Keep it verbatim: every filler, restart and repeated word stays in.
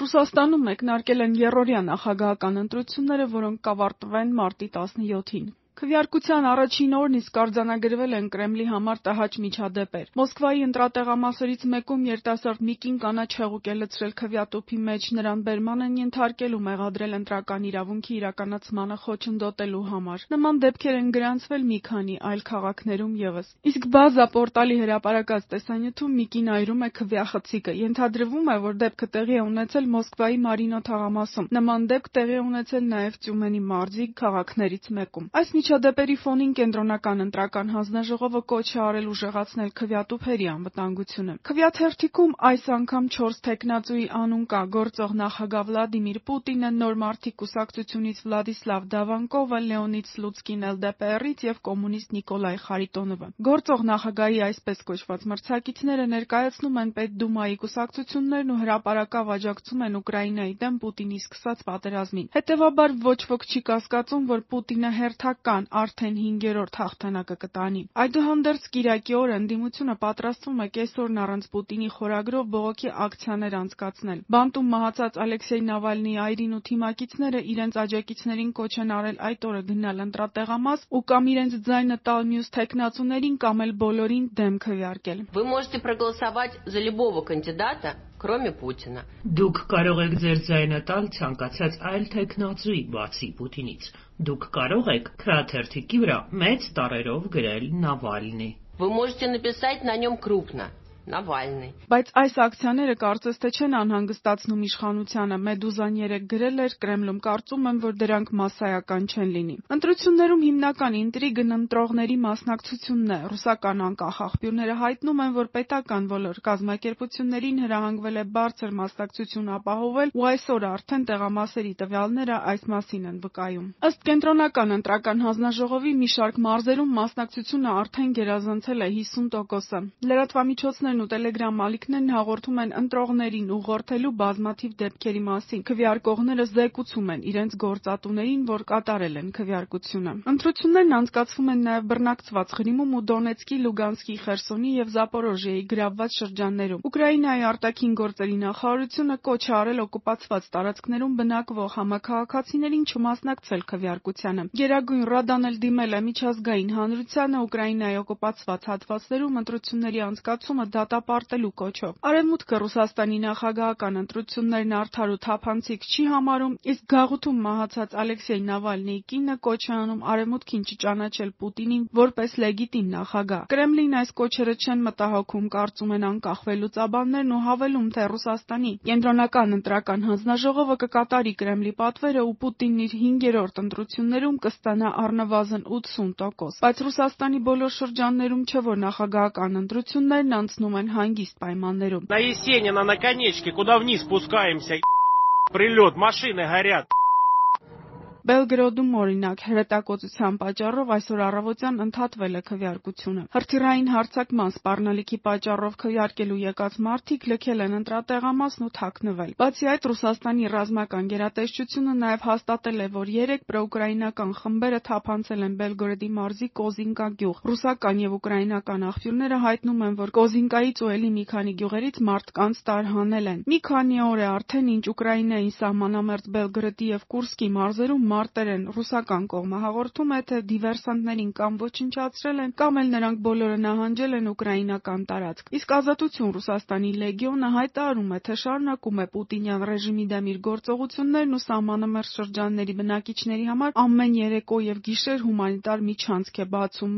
Ռուսաստանում մեկնարկել են եռօրյա նախագահական ընտրությունները, որոնք կավարտվեն մարտի տասնյոթին։ Քվեարկության առաջին օրն իսկ արձանագրվել են Կրեմլի համար տհաճ միջադեպեր։ Մոսկվայի ընտրատեղամասերից մեկում երիտասարդ մի կին կանաչ հեղուկ է լցրել քվեատուփի մեջ, նրան բերման են ենթարկել ու մեղադրել ընտրական իրավունքի իրականացմանը խոչընդոտելու համար։ Նման դեպքեր են գրանցվել մի քանի այլ քաղաքներում ևս։ Իսկ Բազա պորտալի հրապարակած տեսանյութում մի կին այրում է քվեախցիկը։ Ենթադրվում է, որ դեպքը տեղի է ունեցել Մոսկվայի Մարինո թաղամասում։ Նման դեպք տեղի է ունեցել նաև Տյումենի մարզի քաղաքներից մեկում։ Այս միջադեպերի ֆոնին կենտրոնական ընտրական հանձնաժողովը կոչ է արել ուժեղացնել քվեատուփերի անվտանգությունը։ Քվեաթերթիկում այս անգամ չորս թեկնածուի անուն կա՝ գործող նախագահ Վլադիմիր Պուտինը, Նոր մարդիկ կուսակցությունից Վլադիսլավ Դավանկովը, Լեոնիդ Սլուցկին էլ դե պե էրից և կոմունիստ Նիկոլայ Խարիտոնովը։ Գործող նախագահի այսպես կոչված մրցակիցները ներկայացնում են Պետդումայի կուսակցություններն ու հրապարակավ աջակցում են Ուկրաինայի դեմ Պուտինի սկսած պատերազմին։ Հետևաբար ոչ ոք չի կասկածում, որ Պուտինը հերթական արդեն հինգերորդ հաղթանակը կտանի։ Այդուհանդերձ կիրակի օրը ընդդիմությունը պատրաստվում է կեսօրն առանց Պուտինի խորագրով բողոքի ակցիաներ անցկացնել։ Բանտում մահացած Ալեքսեյ Նավալնիի այրին ու թիմակիցները իրենց աջակիցներին կոչ են արել այդ օրը գնալ ընտրատեղամաս ու կամ իրենց ձայնը տալ մյուս թեկնածուներին, կամ էլ բոլորին դեմ քվեարկել։ Вы можете проголосовать за любого кандидата, кроме Путина. Դուք կարող եք ձեր ձայնը տալ ցանկացած այլ թեկնածուի, բացի Պուտինից։ Դուք կարող եք քվեաթերթիկի վրա մեծ տառերով գրել Նավալնի։ Вы можете написать на нем крупно Навальный. Բայց այս ակցիաները կարծես թե չեն անհանգստացնում իշխանությանը։ Մեդուզան երեկ գրել էր՝ Կրեմլում կարծում եմ, որ դրանք մասսայական չեն լինի։ Ընտրություններում հիմնական ինտրիգն ընտրողների մասնակցությունն է։ Ռուսական անկախ աղբյուրները հայտնում են, որ պետական ոլոր կազմակերպություններին հրահանգվել է բարձր մասնակցություն ապահովել, ու այսօր արդեն տեղամասերի տվյալները այս մասին են վկայում։ Ըստ կենտրոնական ընտրական հանձնաժողովի, մի շարք մարզերում մասնակցությունը արդեն գերազանցել է հիսուն տոկոսը։ Լրատվամիջոցներն ու տելեգրամ ալիքներն հաղորդում են ընտրողներին ուղղորդելու բազմաթիվ դեպքերի մասին։ Քվեարկողները զեկուցում են իրենց գործատուներին, որ կատարել են քվեարկությունը։ Ընտրություններն անցկացվում են նաև բռնակցված Ղրիմում ու Դոնեցկի, Լուգանսկի, Խերսոնի և Զապորոժիեի գրավված շրջաններում։ Ուկրաինայի արտաքին գործերի նախարարությունը կոչ է արել օկուպացված տարածքներում բնակվող համաքաղաքացիներին չմասնակցել քվեարկությանը։ Գերագույն Ռադան էլ դիմել է միջազգային հանրությանը Ուկրաինայի օկուպացված հատվածներում ընտրությունների անցկացումը դատապարտելու կոչով։ Արևմուտքը Ռուսաստանի նախագահական ընտրություններն արդար ու թափանցիկ չի համարում, իսկ գաղութում մահացած Ալեքսեյ Նավալնիի կինը կոչ է անում Արևմուտքին չճանաչել Պուտինին որպես լեգիտիմ նախագահ։ Կրեմլին այս կոչերը չեն մտահոգում, կարծում են անկախ վերլուծաբաններն ու հավելում, թե Ռուսաստանի կենտրոնական ընտրական հանձնաժողովը կկատարի Կրեմլի պատվերը ու Պուտինն իր հինգերորդ ընտրություններում կստանա առնվազն ութսուն տոկոս։ Բայց Ռուսաստանի բոլոր շրջաններում չէ, որ նախագահական ընտրություններն անցնում են հանգիստ պայմաններում։ На Есенина на конечке, куда вниз спускаемся, прилет, машины горят. Բելգրոդում, օրինակ, հրետակոծության պատճառով այսօր առավոտյան ընդհատվել է քվեարկությունը։ Հրթիռային հարձակման սպառնալիքի պատճառով քվեարկելու եկած մարդիկ լքել են ընտրատեղամասն ու թաքնվել։ Բացի այդ, Ռուսաստանի ռազմական գերատեսչությունը նաև հաստատել է, որ երեք պրոուկրաինական խմբերը թափանցել են Բելգորոդի մարզի Կոզինկա գյուղ։ Ռուսական և ուկրաինական աղբյուրները հայտնում են, որ Կոզինկայից ու էլի մի քանի գյուղերից մարդկանց տարհանել են։ Մի քանի օր է արդեն, ինչ Ուկրաինային սահմանամերձ Բելգրոդի և Կուրսկի մարզերում մարտեր են։ Ռուսական կողմը հաղորդում է, թե դիվերսանտներին կամ ոչնչացրել են, կամ էլ նրանք բոլորը նահանջել են ուկրաինական տարածք։ Իսկ Ազատություն Ռուսաստանի լեգիոնը հայտարարում է, թե շարունակում է Պուտինյան ռեժիմի դեմ իր գործողություններն ու սահմանամերձ շրջանների բնակիչների համար ամեն երեկո և գիշեր հումանիտար միջանցք է բացում։